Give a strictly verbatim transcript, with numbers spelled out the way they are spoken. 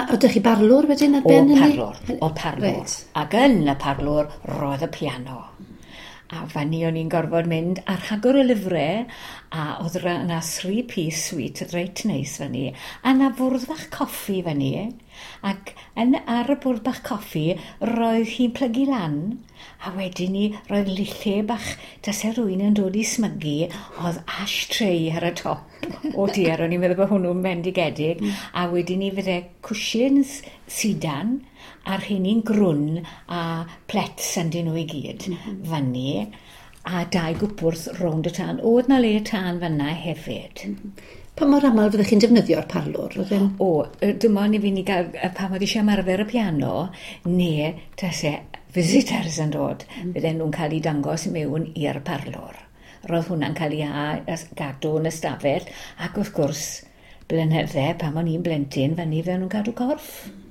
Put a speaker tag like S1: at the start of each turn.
S1: Oeddech chi barlwr wedyn ar ben
S2: O
S1: hynny?
S2: Parlwr, o parlwr.
S1: Reit.
S2: Ac yn y parlwr roedd y piano. A fanny o'n i'n gorfod mynd a rhagor o lyfrau, a oedd yna three-piece suite reit neis fyny, a 'na fwrdd bach coffi fyny, ac yn, ar y bwrdd bach coffi roedd hi'n plygu lan, a wedyn ni roedd lle bach tase rhywun yn dod i smygu, oedd ashtray ar y top. O diar, o'n i'n meddwl bod hwnnw'n bendigedig. Mm. A wedyn ni fydde cushions sidan, a'r rheini'n grwn a plets ynddyn nhw i gyd mm -hmm. fyny, a dau gwpwrdd rownd y tân. Oedd 'na le tân fyna hefyd. Mm
S1: -hmm. Pa mor aml fyddech chi'n defnyddio'r parlwr? Oedd e'n
S2: O, dim ond i fi ni gael, pan oedd eisiau ymarfer y piano, neu tase visitors yn dod, mm. bydden nhw'n cael eu dangos mewn i'r parlwr. Roedd hwnna'n cael ei gadw yn y stafell, ac wrth gwrs, blynydde, pan o'n i'n blentyn, fyny fydden nhw'n cadw corff.